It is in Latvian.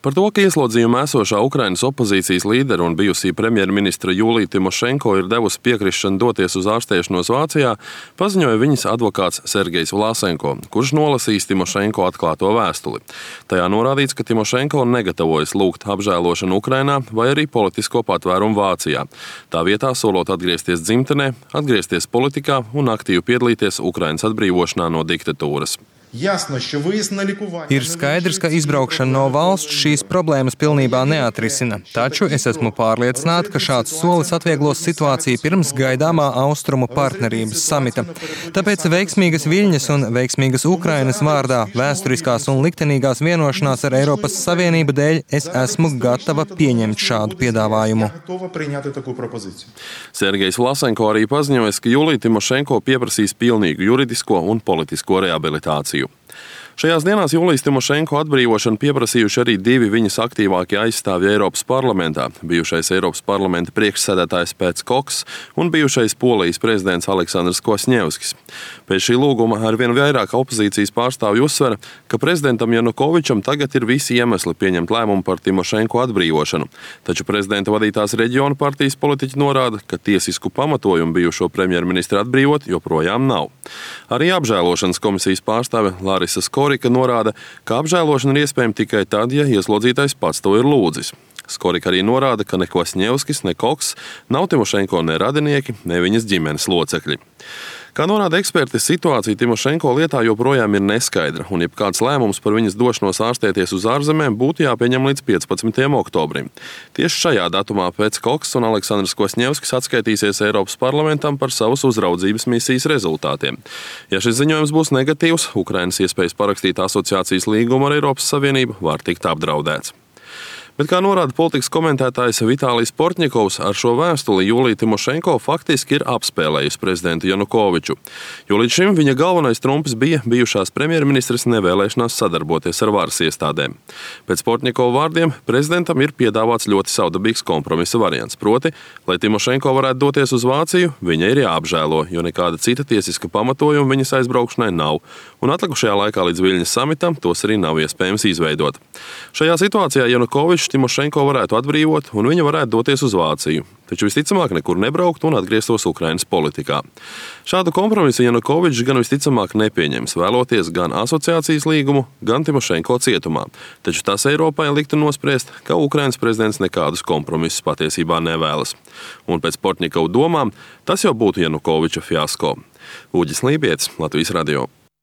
Par to, ka ieslodzījumā esošā Ukrainas opozīcijas līdera un bijusī premjerministra Julija Timošenko ir devusi piekrišanu doties uz ārstēšanos Vācijā, paziņoja viņas advokāts Sergejs Vlasenko, kurš nolasīs Timošenko atklāto vēstuli. Tajā norādīts, ka Timošenko negatavojas lūgt apžēlošanu Ukrainā vai arī politisko patvērumu Vācijā. Tā vietā solot atgriezties dzimtenē, atgriezties politikā un aktīvi piedalīties Ukrainas atbrīvošanā no diktatūras. Ir skaidrs, ka izbraukšana no valsts šīs problēmas pilnībā neatrisina, taču es esmu pārliecināta, ka šāds solis atvieglos situāciju pirms gaidāmā austrumu partnerības samita. Tāpēc veiksmīgas Viļņas un veiksmīgas Ukrainas vārdā, vēsturiskās un liktenīgās vienošanās ar Eiropas Savienību dēļ es esmu gatava pieņemt šādu piedāvājumu. Sergejs Vlasenko arī paziņoja, ka Julija Timošenko pieprasīs pilnīgu juridisko un politisko rehabilitāciju. Šajās dienās Julijas Timošenko atbrīvošanu pieprasījuši arī divi viņas aktīvākie aizstāvji Eiropas parlamentā – bijušais Eiropas parlamenta priekšsēdētājs Pēts Koks un bijušais Polijas prezidents Aleksandrs Kvasņevskis. Pēc šī lūguma arvien vairāk opozīcijas pārstāvji uzsver, ka prezidentam Janukovičam tagad ir visi iemesli pieņemt lēmumu par Timošenko atbrīvošanu, taču prezidenta vadītās reģionu partijas politiķi norāda, ka tiesisku pamatojumu bijušo premjerministru atbrīvot joprojām nav. Arī apžēlošanas komisijas pārstāve Larisa Skorika norāda, ka apžēlošana ir iespējama tikai tad, ja ieslodzītais pats to ir lūdzis. Skorika arī norāda, ka ne Kvasņevskis, ne Koks nav Timošenko ne radinieki, ne viņas ģimenes locekļi. Kā norāda eksperti, situācija Timošenko lietā joprojām ir neskaidra, un jebkāds lēmums par viņas došanos ārstēties uz ārzemēm būtu jāpieņem līdz 15. oktobrim. Tieši šajā datumā Pēts Koks un Aleksandrs Kvasņevskis atskaitīsies Eiropas parlamentam par savas uzraudzības misijas rezultātiem. Ja šis ziņojums būs negatīvs, Ukrainas iespējas parakstīt asociācijas līgumu ar Eiropas Savienību var tikt apdraudēts. Bet, kā norāda politikas komentētājs Vitālijs Portņikovs, ar šo vēstuli Julija Timošenko faktiski ir apspēlējusi prezidentu Janukoviču, jo līdz šim viņa galvenais trumpis bija bijušās premjerministres nevēlēšanās sadarboties ar varas iestādēm. Pēc Portņikova vārdiem prezidentam ir piedāvāts ļoti savdabīgs kompromisa variants, proti, lai Timošenko varētu doties uz Vāciju, viņa ir jāapžēlo, jo nekāda cita tiesiska pamatojuma viņas aizbraukšanai nav, un atlikušajā laikā līdz Viļņas samitam tos arī nav iespējams izveidot. Šajā situācijā Janukovičs Timošenko varētu atbrīvot, un viņa varētu doties uz Vāciju, taču visticamāk nekur nebraukt un atgrieztos Ukrainas politikā. Šādu kompromisu Janukovičs gan visticamāk nepieņems, vēloties gan asociācijas līgumu, gan Timošenko cietumā, taču tas Eiropai liktu nospriest, ka Ukrainas prezidents nekādus kompromisus patiesībā nevēlas. Un pēc Portņikova domām, tas jau būtu Janukoviča fiasko. Uģis Lībietis, Latvijas radio.